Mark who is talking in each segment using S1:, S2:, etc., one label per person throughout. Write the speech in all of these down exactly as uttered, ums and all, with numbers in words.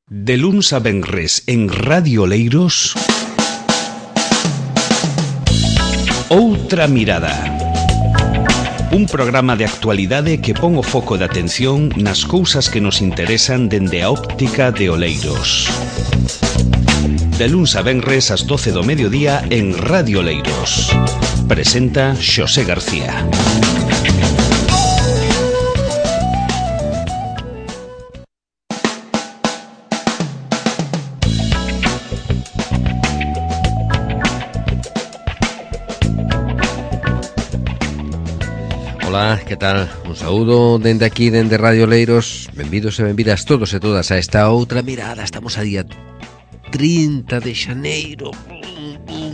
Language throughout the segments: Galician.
S1: De luns a venres en Radio Oleiros, Outra Mirada. Un programa de actualidade que pon o foco de atención nas cousas que nos interesan dende a óptica de Oleiros. De luns a venres ás doce do mediodía en Radio Oleiros. Presenta Xosé García.
S2: Ola, que tal? Un saúdo dende aquí, dende Radio Oleiros. Benvidos e benvidas todos e todas a esta outra mirada. Estamos a día trinta de xaneiro.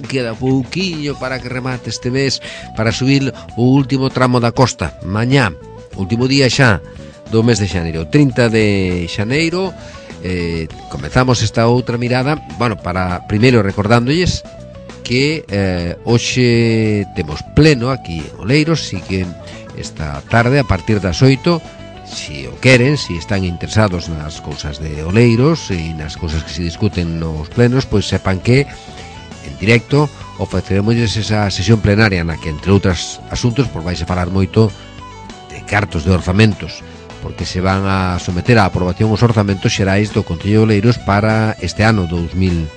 S2: Queda pouquiño para que remate este mes, para subir o último tramo da costa. Mañá, último día xa do mes de xaneiro, trinta de xaneiro. eh, Comezamos esta outra mirada. Bueno, para primeiro recordándolles que eh, hoxe temos pleno aquí en Oleiros. Si que esta tarde, a partir das oito, si o queren, si están interesados nas cousas de Oleiros e nas cousas que se discuten nos plenos, pois sepan que en directo ofreceremos esa sesión plenaria na que, entre outros asuntos, pois vais a falar moito de cartos de orzamentos, porque se van a someter á aprobación os orzamentos xerais do Concello de Oleiros para este ano dous mil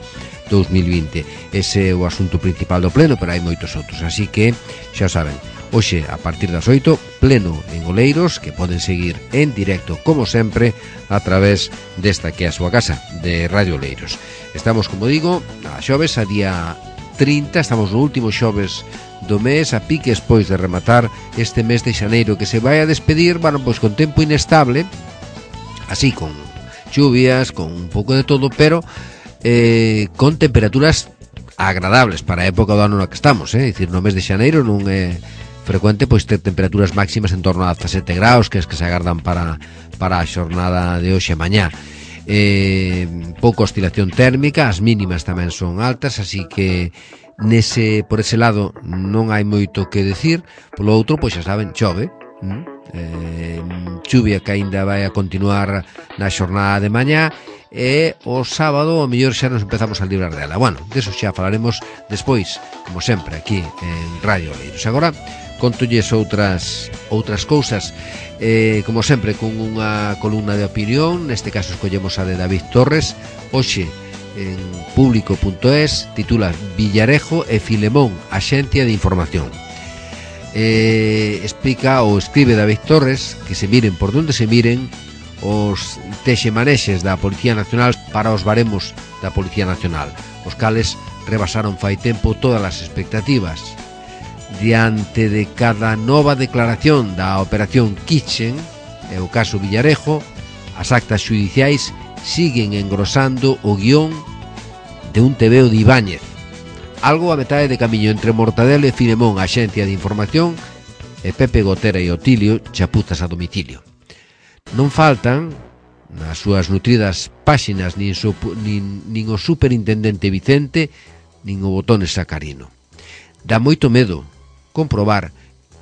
S2: vinte. Ese é o asunto principal do pleno, pero hai moitos outros, así que xa o saben. Hoxe, a partir das oito, pleno en Oleiros, que poden seguir en directo, como sempre, a través desta que é a súa casa, de Radio Oleiros. Estamos, como digo, a xoves, a día trinta, estamos no último xoves do mes, a piques, pois, de rematar este mes de xaneiro, que se vai a despedir, bueno, pois, con tempo inestable, así, con lluvias, con un pouco de todo, pero eh, con temperaturas agradables para a época do ano na que estamos, eh? É dicir, no mes de xaneiro non é frecuente pois ter temperaturas máximas en torno a dezasete graus, que es que se agardan para, para a xornada de hoxe e mañá. Eh, pouca oscilación térmica, as mínimas tamén son altas, así que nese, por ese lado non hai moito que decir. Polo outro, pois xa saben, chove, hm? eh, chuvia que aínda vai a continuar na xornada de mañá, e o sábado o mellor xa nos empezamos a librar dela. Bueno, deso xa falaremos despois, como sempre, aquí en Radio Oleiros. Agora contolles outras outras cousas, eh, como sempre, con unha columna de opinión. Neste caso escollemos a de David Torres. Hoxe en público punto es titula Villarejo e Filemón, Axencia de Información. eh, Explica ou escribe David Torres que se miren por donde se miren os texemanexes da Policía Nacional para os baremos da Policía Nacional, os cales rebasaron fai tempo todas as expectativas. Diante de cada nova declaración da Operación Kitchen, e o caso Villarejo, as actas xudiciais siguen engrosando o guión de un tebeo de Ibáñez, algo a metade de camiño entre Mortadelo e Filemón, Axencia de Información, e Pepe Gotera e Otilio, chapuzas a domicilio. Non faltan nas súas nutridas páxinas nin, su, nin, nin o superintendente Vicente nin o Botones Sacarino. Dá moito medo comprobar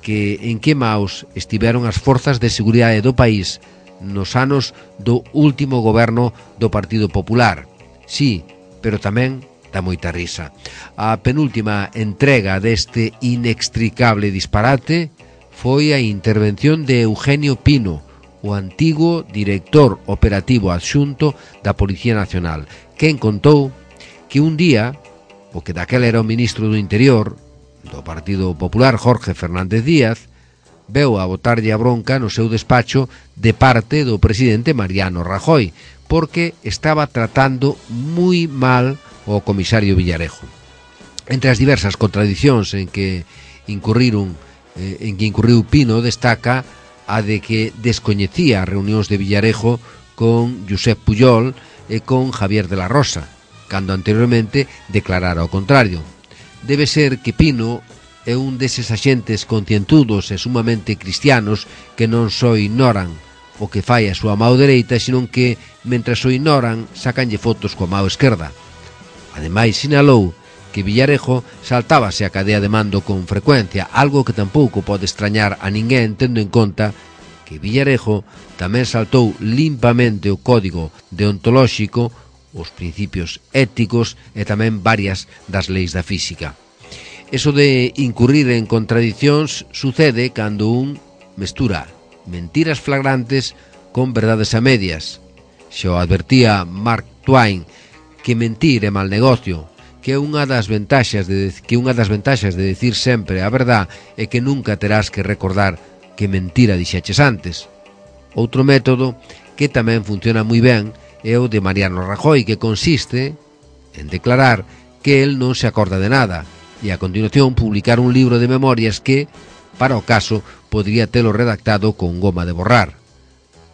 S2: que en que maus estiveron as forzas de seguridade do país nos anos do último goberno do Partido Popular. Sí, pero tamén dá moita risa. A penúltima entrega deste inextricable disparate foi a intervención de Eugenio Pino, o antigo director operativo adxunto da Policía Nacional, quen contou que un día, o que daquela era o ministro do Interior do Partido Popular, Jorge Fernández Díaz, veu a botarlle a bronca no seu despacho de parte do presidente Mariano Rajoy, porque estaba tratando moi mal o comisario Villarejo. Entre as diversas contradicións en que incurriron eh, en que incurriu Pino, destaca a de que descoñecía as reunións de Villarejo con Josep Pujol e con Javier de la Rosa, cando anteriormente declarara o contrario. Debe ser que Pino é un deses axentes concientudos e sumamente cristianos que non só ignoran o que fai a súa mao dereita, senón que, mentras o ignoran, sacanlle fotos coa mao esquerda. Ademais, sinalou que Villarejo saltábase a cadea de mando con frecuencia, algo que tampouco pode extrañar a ninguén, tendo en conta que Villarejo tamén saltou limpamente o código deontolóxico, os principios éticos e tamén varias das leis da física. Eso de incurrir en contradicións sucede cando un mestura mentiras flagrantes con verdades a medias. Xa o advertía Mark Twain que mentir é mal negocio, que unha das ventaxas de que unha das ventaxas de decir sempre a verdad é que nunca terás que recordar que mentira dixeches antes. Outro método que tamén funciona moi ben é o de Mariano Rajoy, que consiste en declarar que el non se acorda de nada e a continuación publicar un libro de memorias que, para o caso, podría telo redactado con goma de borrar.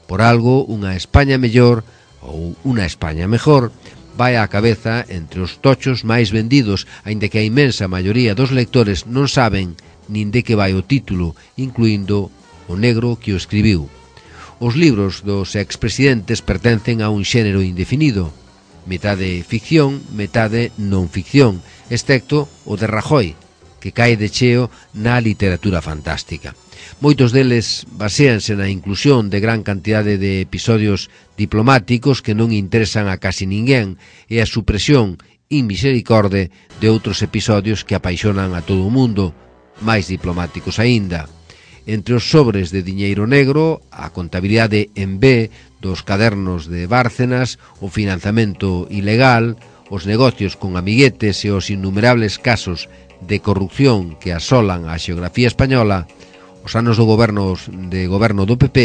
S2: Por algo, unha España mellor ou unha España mejor vai á cabeza entre os tochos máis vendidos, aínda que a inmensa maioría dos lectores non saben nin de que vai o título, incluindo o negro que o escribiu. Os libros dos expresidentes pertencen a un xénero indefinido, metade ficción, metade non ficción, excepto o de Rajoy, que cae de cheo na literatura fantástica. Moitos deles baséanse na inclusión de gran cantidade de episodios diplomáticos que non interesan a casi ninguén e a supresión inmisericorde de outros episodios que apaixonan a todo o mundo, máis diplomáticos aínda. Entre os sobres de diñeiro negro, a contabilidade en B dos cadernos de Bárcenas, o financiamento ilegal, os negocios con amiguetes e os innumerables casos de corrupción que asolan a xeografía española, os anos do goberno, de goberno do P P,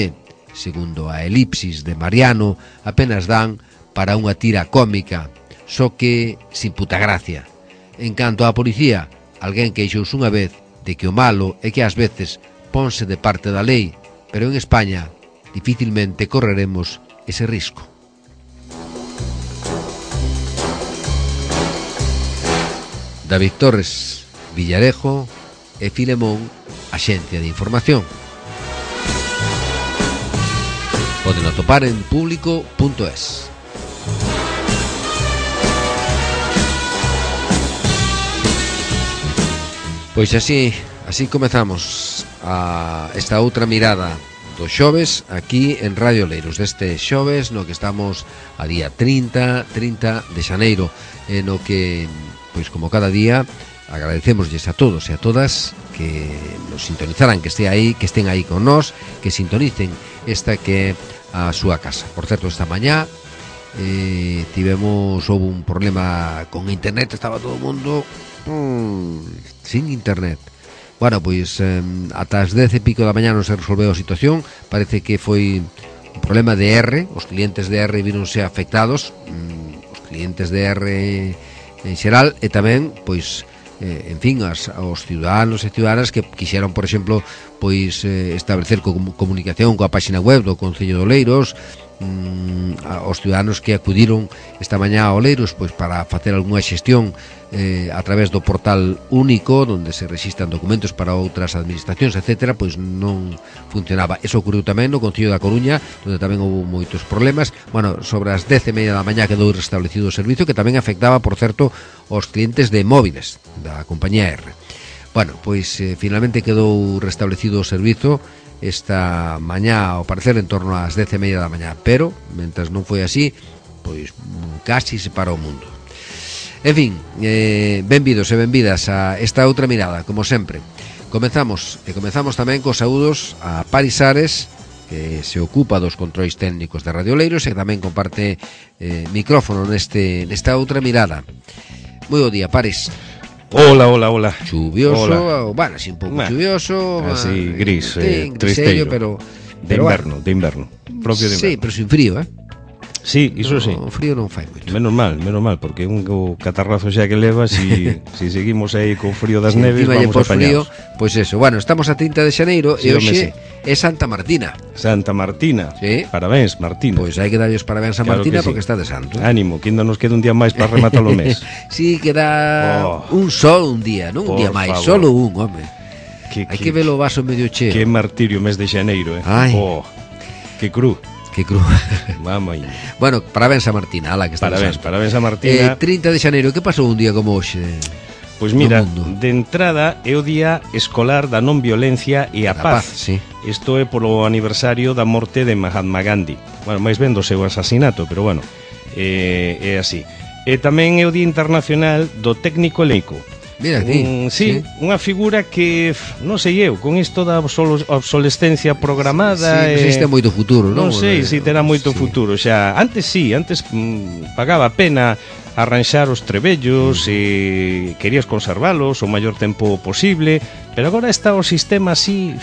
S2: segundo a elipsis de Mariano, apenas dan para unha tira cómica, só que sin puta gracia. En canto á policía, alguén queixouse unha vez de que o malo é que ás veces ponse de parte da lei, pero en España dificilmente correremos ese risco. David Torres, Villarejo e Filemón, Axencia de Información. Poden atopar en público punto es. Pois así, así comezamos a esta outra mirada do xoves aquí en Radio Oleiros, deste xoves no que estamos a día trinta de xaneiro, e no que, pois como cada día, agradecemosles a todos e a todas que nos sintonizaran, que este aí, que estén aí con nós, que sintonicen esta que é a súa casa. Por certo, esta mañá eh, tivemos, houve un problema con internet, estaba todo o mundo mmm, sin internet. Bueno, pois eh, ata as dez e pico da mañá non se resolveu a situación. Parece que foi un problema de R. Os clientes de R víronse afectados, mm, os clientes de R en xeral, e tamén, pois, eh, en fin, as, os ciudadanos e ciudadanas que quixeron, por exemplo, pois eh, establecer com, comunicación coa página web do Concello de Oleiros, mm, aos ciudadanos que acudiron esta mañá a Oleiros pois para facer algunha xestión eh, a través do portal único onde se rexistran documentos para outras administracións, etcétera, pois non funcionaba. Eso ocurriu tamén no Concello da Coruña, onde tamén houve moitos problemas. Bueno, sobre as dez e media da mañá quedou restablecido o servicio, que tamén afectaba, por certo, aos clientes de móviles da compañía R. Bueno, pois eh, finalmente quedou restablecido o servizo esta mañá, ao parecer, en torno ás dez e media da mañá, pero, mentras non foi así, pois casi se parou o mundo. En fin, eh, benvidos e benvidas a esta outra mirada, como sempre. Comezamos, e comezamos tamén cos saúdos a Paris Ares, que se ocupa dos controis técnicos de Radio Oleiros e que tamén comparte eh, micrófono neste, nesta outra mirada. Moi bo día, Paris.
S1: Hola, hola, hola.
S2: Chuvioso,
S1: hola.
S2: Bueno, así un pouco
S1: bueno,
S2: chuvioso,
S1: así
S2: man,
S1: gris, eh,
S2: tristeiro, pero
S1: de
S2: pero
S1: inverno,
S2: bueno.
S1: de inverno, propio de inverno.
S2: Sí, pero sin frío, eh?
S1: Sí, iso
S2: no,
S1: sí.
S2: O frío non fai moito.
S1: Menos mal, menos mal, porque un o catarrazo xa que leva, si, si seguimos aí co frío das
S2: si
S1: neves, vamos a apañados.
S2: Pois pues eso, bueno, estamos a trinta de xaneiro
S1: sí,
S2: e hoxe
S1: sí.
S2: é Santa Martina.
S1: Santa Martina.
S2: Sí.
S1: Parabéns, Martina.
S2: Pois pues hai que darlle os parabéns a
S1: claro
S2: Martina
S1: sí.
S2: porque está de santo.
S1: Ánimo, que ainda nos queda un día máis para rematar o mes.
S2: Sí, queda
S1: oh.
S2: un solo un día, non un día máis, solo un, home.
S1: Que,
S2: hai que, que ver o vaso medio cheo.
S1: Que martirio mes de xaneiro, eh.
S2: Ai.
S1: Oh, que cru.
S2: Que cru.
S1: Mamma mía.
S2: Bueno, parabéns a Martina, ala que está
S1: Parabéns,
S2: santo.
S1: parabéns a Martina.
S2: Eh, trinta de xaneiro, que pasou un día como hoxe?
S1: Pois mira, de entrada é o Día Escolar da Non Violencia e a, a Paz,
S2: paz sí.
S1: Isto é polo aniversario da morte de Mahatma Gandhi. Bueno, máis ben do seu asasinato, pero bueno, é, é así. E tamén é o Día Internacional do Técnico Eléctrico.
S2: Mira,
S1: un, sí, sí, unha figura que, non sei eu, con isto da obsolescencia programada,
S2: sí, sí, existe moito futuro, non?
S1: Non sei se si terá moito sí. futuro, xa, antes sí, antes mm, pagaba a pena arranxar os trebellos mm. e querías conservalos o maior tempo posible, pero agora está o sistema así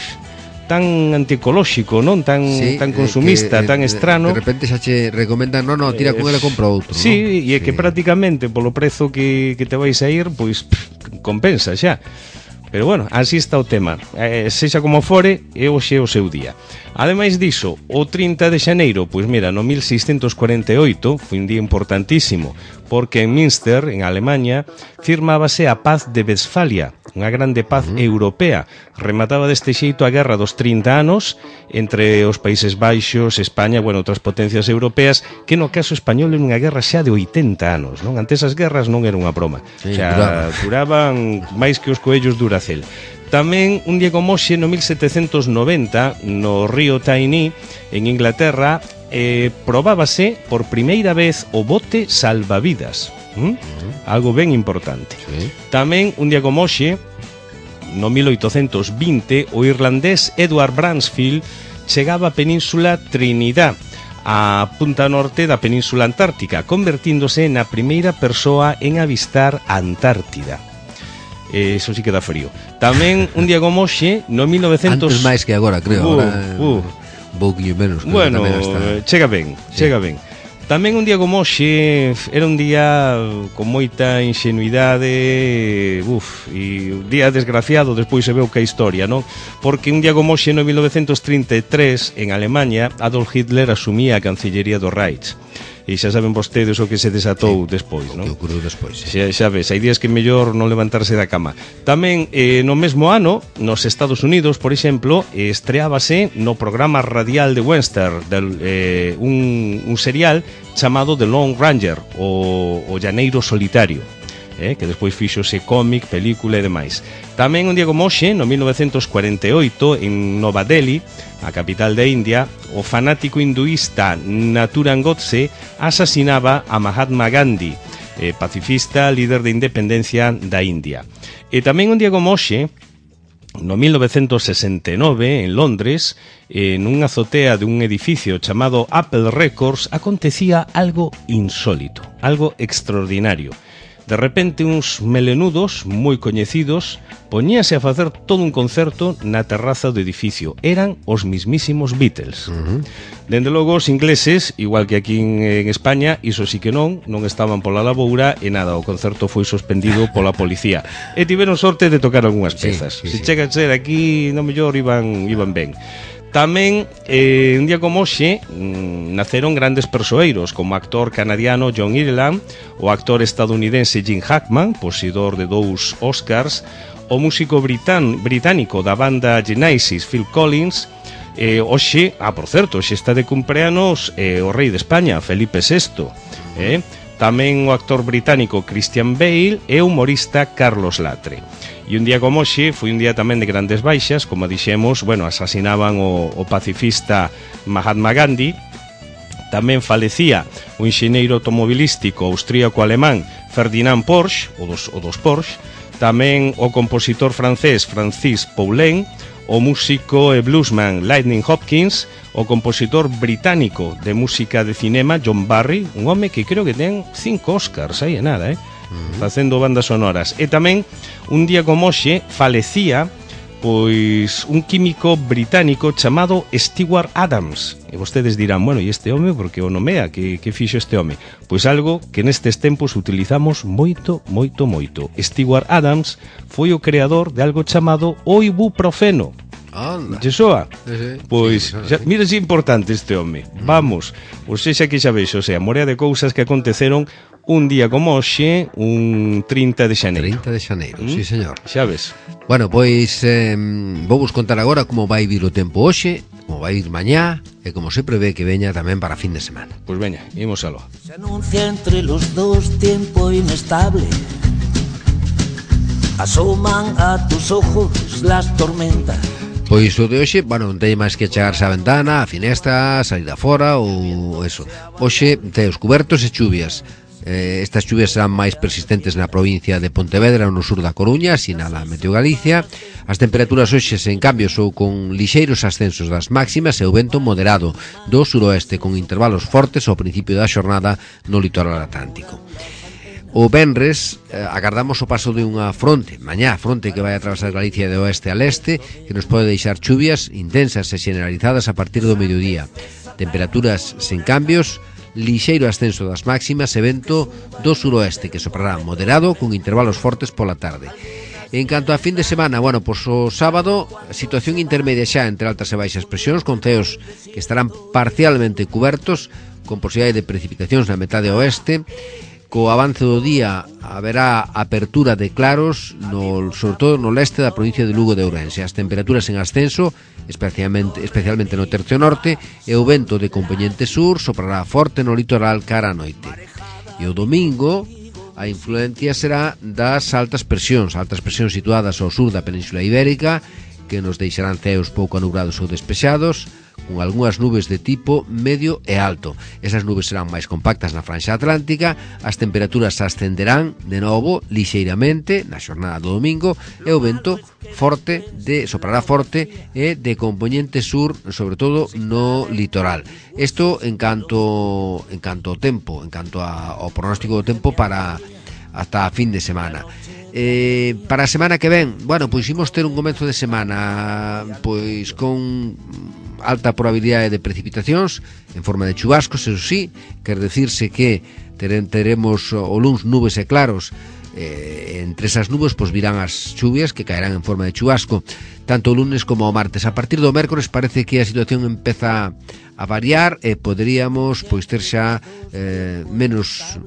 S1: tan anticolóxico, non? Tan sí, tan consumista, que, tan estrano.
S2: De repente xa che recomendan, non, non, tira con ele, compra outro,
S1: sí,
S2: non?
S1: E é sí. que prácticamente polo prezo que, que te vais a ir, pois pff, compensa xa. Pero bueno, así está o tema. Eh, sexa como fore, é hoxe o seu día. Ademais diso, o trinta de xaneiro, pois mira, no mil seiscentos cuarenta e oito, foi un día importantísimo, porque en Münster, en Alemanha, firmábase a Paz de Westfalia, unha grande paz uh -huh. europea. Remataba deste xeito a guerra dos trinta anos entre os Países Baixos, España, bueno, outras potencias europeas, que no caso español é unha guerra xa de oitenta anos, non? Antes as guerras non era unha broma.
S2: Sí,
S1: xa duraban máis que os coellos Duracell. Tamén un día como hoxe, no mil setecentos noventa, no río Tyne, en Inglaterra, eh, probábase por primeira vez o bote salvavidas. ¿Mm? Uh -huh. Algo ben importante. Sí. Tamén un día como hoxe, no mil oitocentos vinte, o irlandés Edward Bransfield chegaba á península Trinidad, a punta norte da península antártica, convertíndose na primeira persoa en avistar a Antártida. Eso sí que dá frío. Tamén un día como hoxe, no mil novecentos...
S2: Antes máis que agora, creo.
S1: Uh,
S2: agora,
S1: uh.
S2: Un pouquinho menos.
S1: Bueno, hasta... chega ben, sí. chega ben. Tamén un día como hoxe era un día con moita ingenuidade, uf, e un día desgraciado, despois se veu que a historia, non? Porque un día como hoxe no mil novecentos trinta e tres, en Alemanha, Adolf Hitler asumía a Cancillería do Reich. E xa saben vostedes o que se desatou sí, despois, non?
S2: O que ocorreu despois, sí.
S1: Xa, xa ves, hai días que é mellor non levantarse da cama. Tamén, eh, no mesmo ano, nos Estados Unidos, por exemplo, estreábase no programa radial de Western del, eh, un, un serial chamado The Lone Ranger, o, o Llaneiro Solitario, eh, que despois fíxose cómic, película e demais. Tamén un día como hoxe, no mil novecentos cuarenta e oito, en Nova Delhi, a capital de India, o fanático hinduista Nathuram Godse asasinaba a Mahatma Gandhi, eh, pacifista, líder de independencia da India. E tamén un día como hoxe, no mil novecentos sesenta e nove, en Londres, en unha azotea de un edificio chamado Apple Records, acontecía algo insólito, algo extraordinario. De repente, uns melenudos moi coñecidos poñíase a facer todo un concerto na terraza do edificio. Eran os mismísimos Beatles. Uh -huh. Dende logo, os ingleses, igual que aquí en, en España, iso sí que non, non estaban pola laboura e nada, o concerto foi suspendido pola policía. E tiveron sorte de tocar algunhas pezas. Sí, sí, Se sí. chega a ser aquí, no mellor iban, iban ben. Tamén, eh, un día como hoxe, mmm, naceron grandes persoeiros, como o actor canadiano John Ireland, o actor estadounidense Jim Hackman, poseedor de dous Oscars, o músico britán, británico da banda Genesis, Phil Collins, eh, hoxe, ah, por certo, hoxe está de cumpleanos eh, o rei de España, Felipe sexto, eh? Tamén o actor británico Christian Bale e o humorista Carlos Latre. E un día como hoxe foi un día tamén de grandes baixas, como dixemos, bueno, asasinaban o, o pacifista Mahatma Gandhi. Tamén falecía o enxeñeiro automobilístico austríaco-alemán Ferdinand Porsche, o dos, o dos Porsche. Tamén o compositor francés Francis Poulenc, o músico e bluesman Lightning Hopkins, o compositor británico de música de cinema John Barry, un home que creo que ten cinco Oscars, aí é nada, eh? Uh-huh. Facendo bandas sonoras. E tamén, un día como hoxe, falecía pois un químico británico chamado Stewart Adams. E vostedes dirán, bueno, e este home, porque o nomea, que, que fixo este home? Pois algo que nestes tempos utilizamos moito, moito, moito. Stewart Adams foi o creador de algo chamado o ibuprofeno.
S2: Anda.
S1: Che soa?
S2: Sí, sí.
S1: Pois,
S2: sí,
S1: xa, mira se importante este home. Mm. Vamos, ou sexa que xa vexo, o sea, morea de cousas que aconteceron un día como hoxe, un trinta de xaneiro.
S2: trinta de xaneiro, mm? Sí, señor.
S1: Xa ves.
S2: Bueno, pois eh, vou vos contar agora como vai vir o tempo hoxe, como vai ir mañá e como se prevé que veña tamén para fin de semana.
S1: Pois veña, imos aló.
S3: Se anuncia entre los dos tiempo inestable. asoman a tus ojos las tormentas.
S2: Pois o de hoxe, bueno, non ten máis que chegarse á ventana, á finestra, salir afora ou eso. Hoxe ten os cubertos e chuvias. Eh, estas chuvias serán máis persistentes na provincia de Pontevedra, no sur da Coruña, sinala Meteo Galicia. As temperaturas hoxe, en cambio, son con lixeiros ascensos das máximas e o vento moderado do suroeste, con intervalos fortes ao principio da xornada no litoral atlántico. O venres eh, agardamos o paso de unha fronte, mañá fronte que vai a atravesar Galicia de oeste a leste, que nos pode deixar chuvias intensas e generalizadas a partir do mediodía. Temperaturas sen cambios, lixeiro ascenso das máximas e vento do suroeste, que soprará moderado con intervalos fortes pola tarde. En canto a fin de semana, bueno, pois o sábado, situación intermedia xa entre altas e baixas presións, con ceos que estarán parcialmente cubertos, con posibilidade de precipitacións na metade oeste. Co avance do día haberá apertura de claros, no, sobre todo no leste da provincia de Lugo de Ourense. As temperaturas en ascenso, especialmente, especialmente no tercio norte, e o vento de compoñente sur soprará forte no litoral cara a noite. E o domingo, a influencia será das altas presións, altas presións situadas ao sur da Península Ibérica, que nos deixarán ceos pouco anubrados ou despexados, con algunhas nubes de tipo medio e alto. Esas nubes serán máis compactas na franxa atlántica, as temperaturas ascenderán de novo lixeiramente na xornada do domingo e o vento forte de soprará forte e de compoñente sur, sobre todo no litoral. Isto en canto en canto ao tempo, en canto a, ao pronóstico do tempo para hasta a fin de semana. Eh, para a semana que ven, bueno, pois imos ter un comezo de semana pois con alta probabilidade de precipitacións en forma de chubascos, eso sí, quer decirse que teremos o luns nubes e claros, eh, entre esas nubes pois virán as chuvias que caerán en forma de chubasco tanto o lunes como o martes. A partir do mércores parece que a situación empeza a variar e poderíamos pois ter xa eh, menos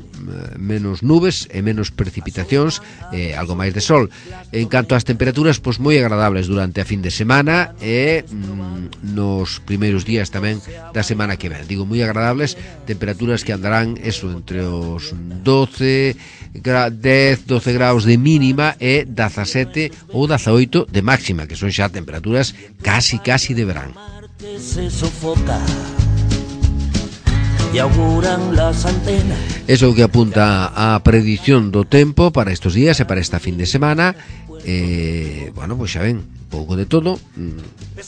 S2: menos nubes e menos precipitacións, eh, algo máis de sol. En canto ás temperaturas, pois moi agradables durante a fin de semana e mm, nos primeiros días tamén da semana que ven. Digo moi agradables, temperaturas que andarán eso entre os doce, dez, doce graus de mínima e dezasete ou dezaoito de máxima, que son xa temperaturas casi casi de verán.
S3: Se sofoca e auguran las antenas.
S2: Eso que apunta a predición do tempo para estos días e para esta fin de semana. Eh, bueno, pois xa ven, pouco de todo,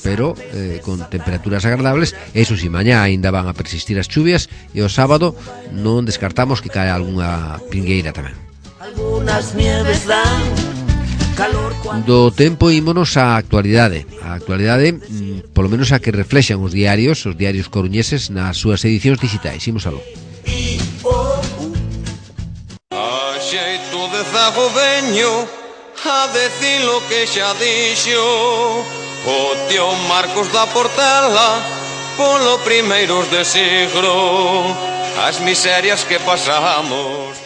S2: pero eh, con temperaturas agradables. Eso si, mañá ainda van a persistir as chuvias e o sábado non descartamos que cae algunha pingueira tamén.
S3: Algunas nieves dan
S2: do tempo ímonos á actualidade. A actualidade, mm, polo menos a que reflexan os diarios, os diarios coruñeses nas súas edicións digitais. Imos aló.
S4: A xeito de zago veño a decir lo que xa dixo o tío Marcos da Portela polo primeiros de siglo, as miserias que pasamos.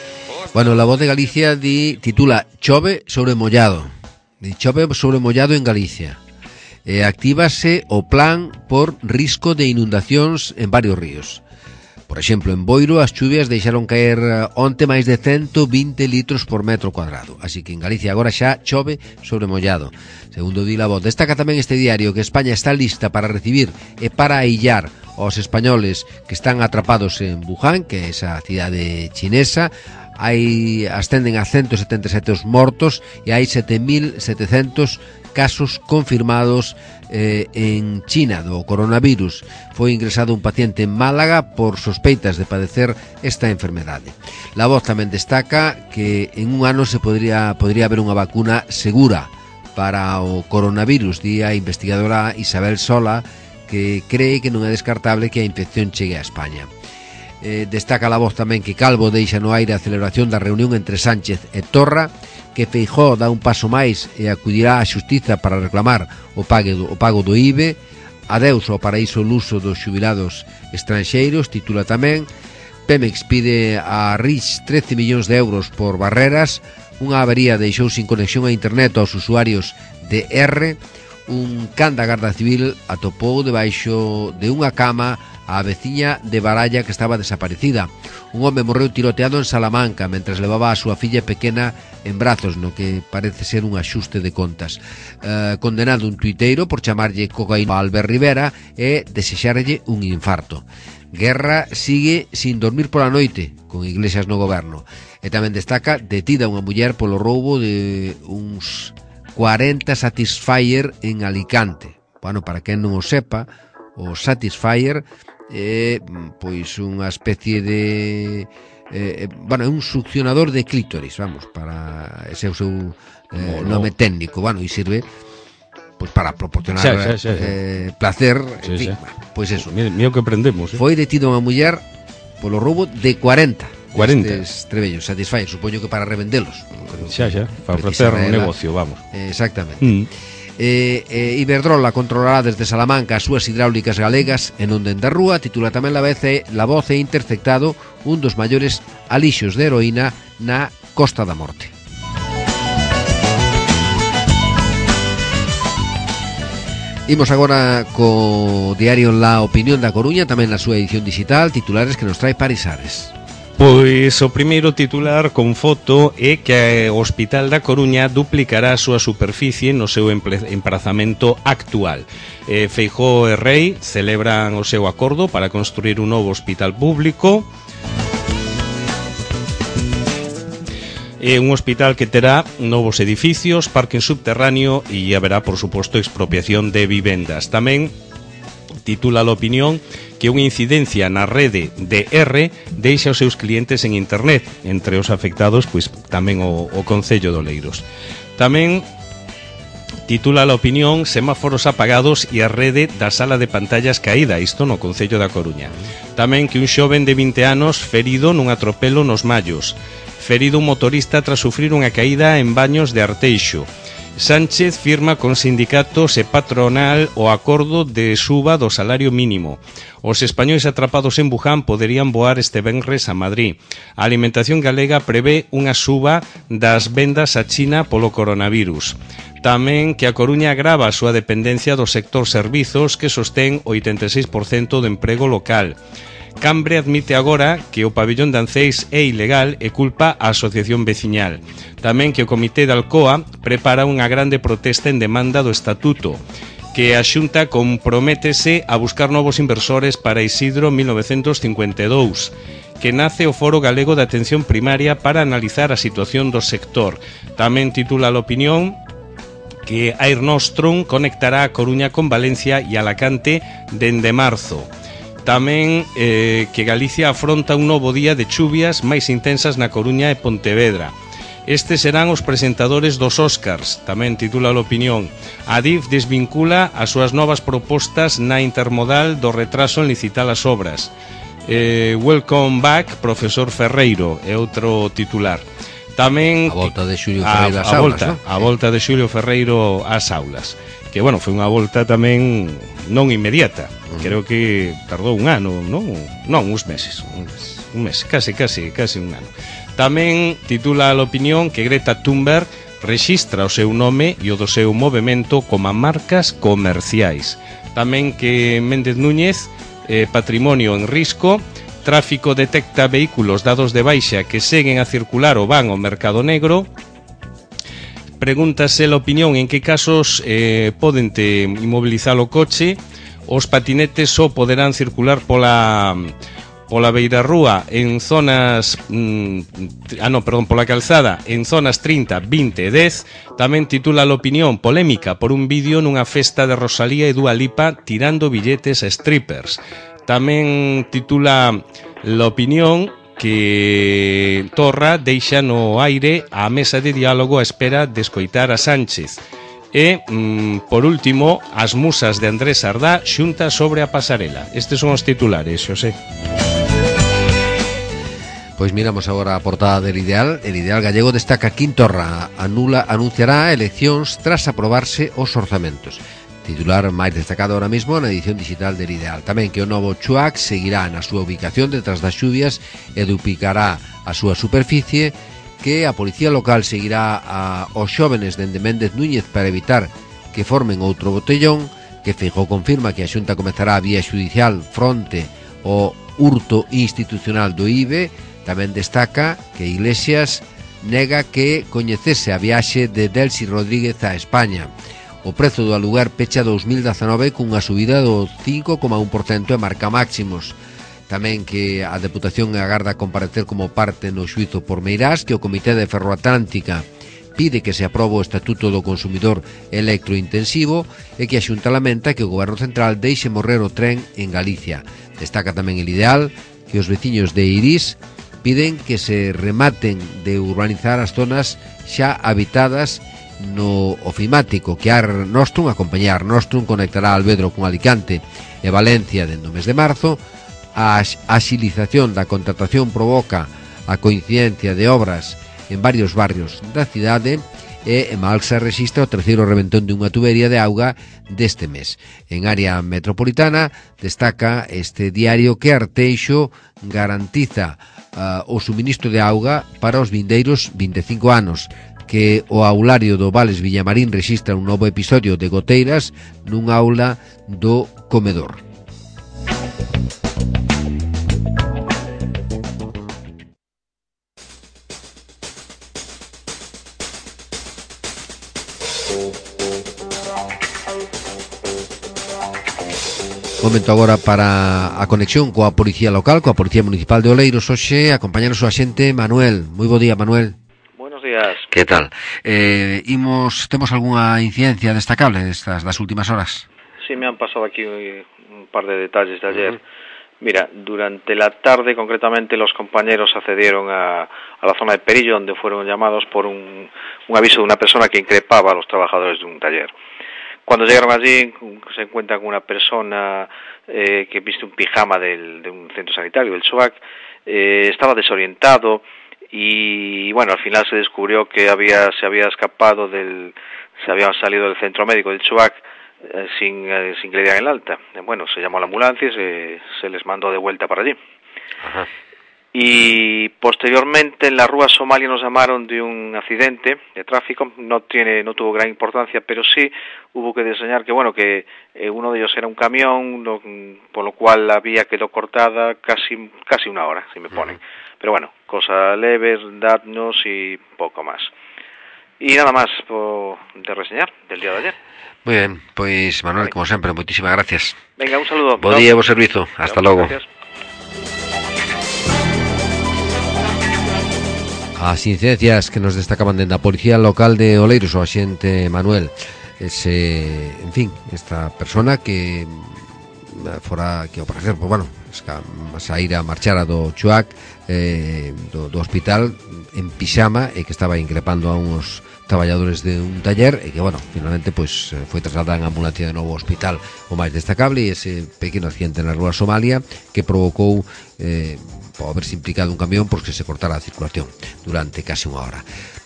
S2: Bueno, La Voz de Galicia di, titula Chove sobre mollado. Di, chove sobre mollado en Galicia. E actívase o plan por risco de inundacións en varios ríos. Por exemplo, en Boiro as chuvias deixaron caer onte máis de cento vinte litros por metro cuadrado. Así que en Galicia agora xa chove sobre mollado. Segundo di La Voz, destaca tamén este diario que España está lista para recibir e para aillar aos españoles que están atrapados en Wuhan, que é esa cidade chinesa. Hai ascenden a ciento setenta e sete os mortos e hai sete mil setecentos casos confirmados eh, en China do coronavirus. Foi ingresado un paciente en Málaga por sospeitas de padecer esta enfermedade. La Voz tamén destaca que en un ano se podría, podría haber unha vacuna segura para o coronavirus, di a investigadora Isabel Sola, que cree que non é descartable que a infección chegue a España. Eh, destaca La Voz tamén que Calvo deixa no aire a celebración da reunión entre Sánchez e Torra, que Feijóo dá un paso máis e acudirá á xustiza para reclamar o pago do, o pago do I V E. Adeus ao paraíso luso dos xubilados estranxeiros, titula tamén. Pemex pide a Rich trece millóns de euros por barreras. Unha avería deixou sin conexión a internet aos usuarios de R. Un can da Garda Civil atopou debaixo de unha cama a veciña de Baralla que estaba desaparecida. Un home morreu tiroteado en Salamanca mentres levaba a súa filla pequena en brazos, no que parece ser un axuste de contas. Eh, condenado un tuiteiro por chamarlle cocaína a Albert Rivera e desexarlle un infarto. Guerra sigue sin dormir pola noite, con Iglesias no goberno. E tamén destaca detida unha muller polo roubo de uns cuarenta Satisfyer en Alicante. Bueno, para quen non o sepa, o Satisfyer é pois unha especie de eh, bueno, é un succionador de clítoris, vamos, para ese é o seu eh, nome técnico, bueno, e sirve pois para proporcionar xa, xa, xa, xa. Eh, placer, en fin, bueno, pois eso.
S1: Mira, mira o que aprendemos, eh?
S2: Foi detido unha muller polo roubo de cuarenta
S1: cuarenta
S2: estes trebellos Satisfyer, supoño que para revendelos.
S1: Xa, xa, para ofrecer un negocio, vamos.
S2: Eh, exactamente.
S1: Mm.
S2: Eh, eh, Iberdrola controlará desde Salamanca as súas hidráulicas galegas e non dende a rúa. Titula tamén la, vez, la voz e interceptado un dos maiores alixos de heroína na Costa da Morte. Imos agora co diario La Opinión da Coruña, tamén na súa edición digital, titulares que nos trae Paris Ares.
S1: Pois o primeiro titular con foto é que o Hospital da Coruña duplicará a súa superficie no seu emprazamento actual. Eh, Feijóo e Rei celebran o seu acordo para construir un novo hospital público. É un hospital que terá novos edificios, parque subterráneo e haberá, por suposto, expropiación de vivendas. Tamén titula La Opinión que unha incidencia na rede de R deixa os seus clientes en internet, entre os afectados, pois tamén o, o Concello de Oleiros. Tamén titula La Opinión semáforos apagados e a rede da sala de pantallas caída, isto no Concello da Coruña. Tamén que un xoven de vinte anos ferido nun atropelo nos Mallos. Ferido un motorista tras sufrir unha caída en Baños de Arteixo. Sánchez firma con sindicatos e patronal o acordo de suba do salario mínimo. Os españois atrapados en Wuhan poderían voar este venres a Madrid. A alimentación galega prevé unha suba das vendas a China polo coronavirus. Tamén que a Coruña agrava a súa dependencia do sector servizos que sostén o oitenta e seis por cento do emprego local. Cambre admite agora que o pabillón de Anceis é ilegal e culpa a asociación veciñal. Tamén que o Comité de Alcoa prepara unha grande protesta en demanda do estatuto, que a Xunta comprométese a buscar novos inversores para Isidro mil novecentos cincuenta e dous, que nace o Foro Galego de Atención Primaria para analizar a situación do sector. Tamén titula La Opinión que Air Nostrum conectará a Coruña con Valencia e Alacante dende marzo. Tamén eh, que Galicia afronta un novo día de chuvias máis intensas na Coruña e Pontevedra. Estes serán os presentadores dos Óscars, tamén titula La Opinión. A D I F desvincula as súas novas propostas na intermodal do retraso en licitar as obras. Eh, welcome back, profesor Ferreiro, é outro titular. Tamén
S2: a volta de Xulio Ferreiro ás
S1: a, a
S2: aulas,
S1: volta,
S2: ¿no?
S1: A volta de Xulio Ferreiro ás aulas. Que, bueno, foi unha volta tamén non inmediata. Uh-huh. Creo que tardou un ano, non? Non, uns meses. Un mes, un mes case, case, case un ano. Tamén titula La Opinión que Greta Thunberg rexistra o seu nome e o do seu movemento como marcas comerciais. Tamén que Méndez Núñez, eh, patrimonio en risco, tráfico detecta vehículos dados de baixa que seguen a circular ou van ao mercado negro. Pregúntase La Opinión en que casos eh, poden te inmobilizar o coche. Os patinetes só poderán circular pola pola beirarrúa en zonas mm, ah no, perdón, pola calzada en zonas trinta, vinte e dez. Tamén titula La Opinión polémica por un vídeo nunha festa de Rosalía e Dua Lipa tirando billetes a strippers. Tamén titula La Opinión que Torra deixa no aire a mesa de diálogo a espera de escoitar a Sánchez. E, mm, por último, as musas de Andrés Sardá xunta sobre a pasarela. Estes son os titulares, Xosé.
S2: Pois miramos agora a portada del Ideal. El Ideal gallego destaca que Torra anula, anunciará eleccións tras aprobarse os orzamentos. Titular máis destacado ahora mismo na edición digital del Ideal. Tamén que o novo Chuac seguirá na súa ubicación detrás das xuvias e duplicará a súa superficie, que a policía local seguirá a os xóvenes dende Méndez Núñez para evitar que formen outro botellón, que Feijóo confirma que a Xunta comezará a vía xudicial fronte o hurto institucional do I B E. Tamén destaca que Iglesias nega que coñecese a viaxe de Delcy Rodríguez a España. O prezo do aluguer pecha dous mil dezanove cunha subida do cinco coma un por cento e marca máximos. Tamén que a Deputación agarda comparecer como parte no xuizo por Meirás, que o Comité de Ferroatlántica pide que se aprobe o Estatuto do Consumidor Electrointensivo e que a Xunta lamenta que o Goberno Central deixe morrer o tren en Galicia. Destaca tamén el Ideal que os veciños de Irís piden que se rematen de urbanizar as zonas xa habitadas no ofimático, que Ar Nostrum, a compañía Ar Nostrum, conectará Alvedro con Alicante e Valencia dentro do mes de marzo. A axilización da contratación provoca a coincidencia de obras en varios barrios da cidade e en Malxa rexistra o terceiro reventón de unha tubería de auga deste mes. En área metropolitana destaca este diario que Arteixo garantiza uh, o suministro de auga para os vindeiros vinte e cinco anos, que o aulario do Vales Villamarín rexistra un novo episodio de goteiras nun aula do comedor. Momento agora para a conexión coa Policía Local, coa Policía Municipal de Oleiros. Hoxe acompañanos o axente Manuel. Moi bo día, Manuel.
S5: Buenos días.
S2: Que tal? Eh, imos, temos algunha incidencia destacable destas das últimas horas?
S5: Sí, me han pasado aquí un par de detalles de ayer. Uh-huh. Mira, durante la tarde, concretamente, los compañeros accedieron a, a la zona de Perillo, donde fueron llamados por un, un aviso de una persona que increpaba a los trabajadores de un taller. Cuando llegaron allí, se encuentran con una persona eh, que viste un pijama del, de un centro sanitario, del SUAC, eh, estaba desorientado y, bueno, al final se descubrió que había se había escapado del, se había salido del centro médico del SUAC eh, sin, eh, sin que le dieran el alta. Eh, bueno, se llamó a la ambulancia y se, se les mandó de vuelta para allí. Ajá. Y posteriormente en la Rúa Somalia nos llamaron de un accidente de tráfico. No tiene, no tuvo gran importancia, pero sí hubo que diseñar que bueno que eh, uno de ellos era un camión, lo, por lo cual la vía quedó cortada casi casi una hora, si me ponen. Uh-huh. Pero bueno, cosas leves, daños y poco más. Y nada más por, de reseñar del día de ayer.
S2: Muy bien, pues Manuel, vale, como sempre, moitísimas gracias.
S5: Venga, un saludo.
S2: Bo día, bo servizo. Hasta logo.
S5: Gracias.
S2: As incidencias que nos destacaban dentro da Policía Local de Oleiros, o axente Manuel. Ese, en fin, esta persona que fora, que ao parecer, pues, bueno, saíra, marchara do Chuac, eh, do, do hospital en pixama, e que estaba increpando a uns traballadores de un taller, e que, bueno, finalmente pues, foi trasladada en ambulancia de novo ao hospital. O máis destacable é ese pequeno accidente na Rúa Somalia que provocou eh, por haberse implicado un camión porque se cortara a circulación durante case unha hora.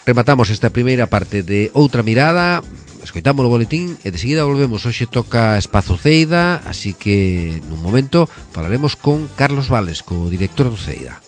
S2: Rematamos esta primeira parte de Outra Mirada, escoitamos o boletín e de seguida volvemos. Hoxe toca Espazo Ceida, así que nun momento falaremos con Carlos Vales, co director do Ceida.